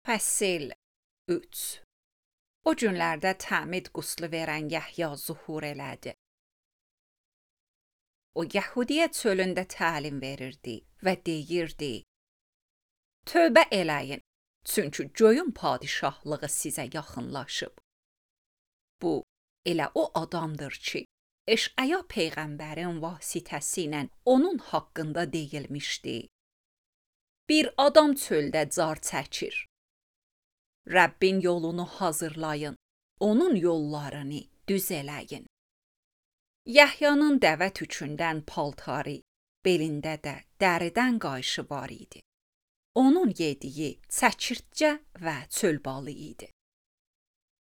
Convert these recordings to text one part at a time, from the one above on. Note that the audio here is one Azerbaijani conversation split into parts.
Fəsil 3. O günlərdə təmid quslu verən Yəhya zuhur elədi. O Yəhudiyə çölündə təlim verirdi və deyirdi: Tövbə eləyin, çünki göyün padişahlığı sizə yaxınlaşıb. Bu, elə o adamdır ki, Eşaya peyğəmbərin vasitəsilə onun haqqında deyilmişdi. Bir adam çöldə car çəkir. Rəbbin yolunu hazırlayın, onun yollarını düz eləyin. Yəhyanın dəvə tükündən paltarı, belində də dəridən qayışı var idi. Onun yediyi çəkirtcə və çöl balı idi.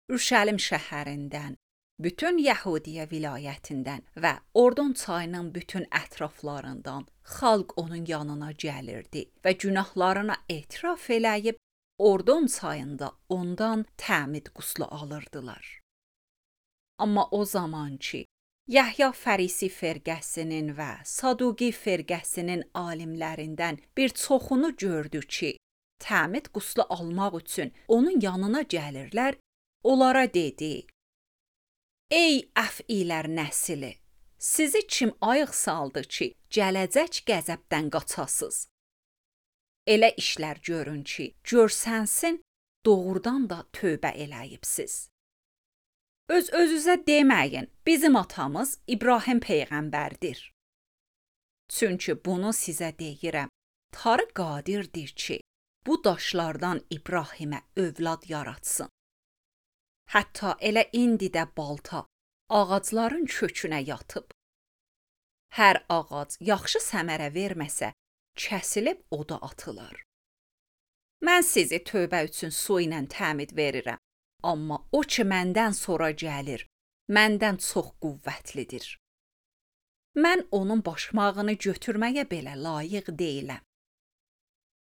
Ürüşəlim şəhərindən, bütün Yəhudiyə vilayətindən və Ordon çayının bütün ətraflarından xalq onun yanına gəlirdi və günahlarına etiraf eləyib Ordon çayında ondan təmid quslu alırdılar. Amma o zaman ki, Yəhya Fərisi firqəsinin və Saduqi firqəsinin alimlərindən bir çoxunu gördü ki, təmid quslu almaq üçün onun yanına gəlirlər, onlara dedi: Ey əfilər nəsli, sizi kim ayıq saldı ki, gələcək qəzəbdən qaçasız? Elə işlər görün ki, görsənsin, doğrudan da tövbə eləyibsiz. Öz-özünüzə deməyin, bizim atamız İbrahim peyğəmbərdir. Çünki bunu sizə deyirəm, Tanrı qadirdir ki, bu daşlardan İbrahimə övlad yaratsın. Hətta elə indi də balta ağacların kökünə yatıb. Hər ağac yaxşı səmərə verməsə, kəsilib oda atılar. Mən sizi tövbə üçün su ilə təmid verirəm, amma o ki məndən sonra gəlir, məndən çox qüvvətlidir. Mən onun başmağını götürməyə belə layiq deyiləm.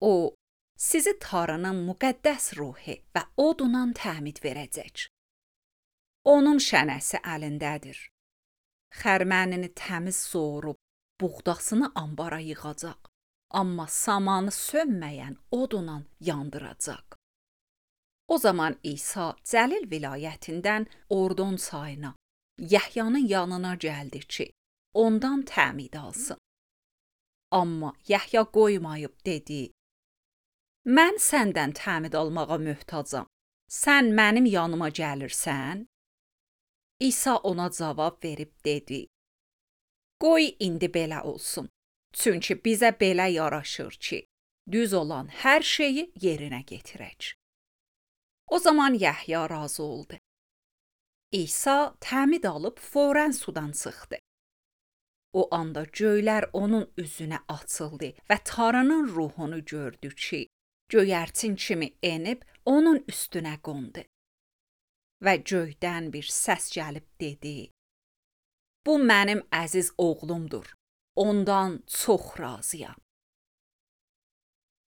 O, sizi Tanrının müqəddəs ruhu və odundan təmid verəcək. Onun şənəsi əlindədir. Xərmənini təmiz soğurub, buğdasını ambara yığacaq, amma samanı sönməyən odunla yandıracaq. O zaman İsa Cəlil vilayətindən Ordon çayına, Yəhyanın yanına gəldi ki, ondan təmid alsın. Amma Yəhya qoymayıb dedi: Mən səndən təmid almağa möhtacam, sən mənim yanıma gəlirsən? İsa ona cavab verib dedi: Qoy indi belə olsun, çünki bizə belə yaraşır ki, düz olan hər şeyi yerinə getirək. O zaman Yəhya razı oldu. İsa təmid alıb fौरən sudan çıxdı. O anda göylər onun üzünə açıldı və Tanrının ruhunu gördü ki, göyərçin kimi enib onun üstünə qondu. Və göydən bir səs gəlib dedi: Bu mənim əziz oğlumdur, ondan çox razıyam.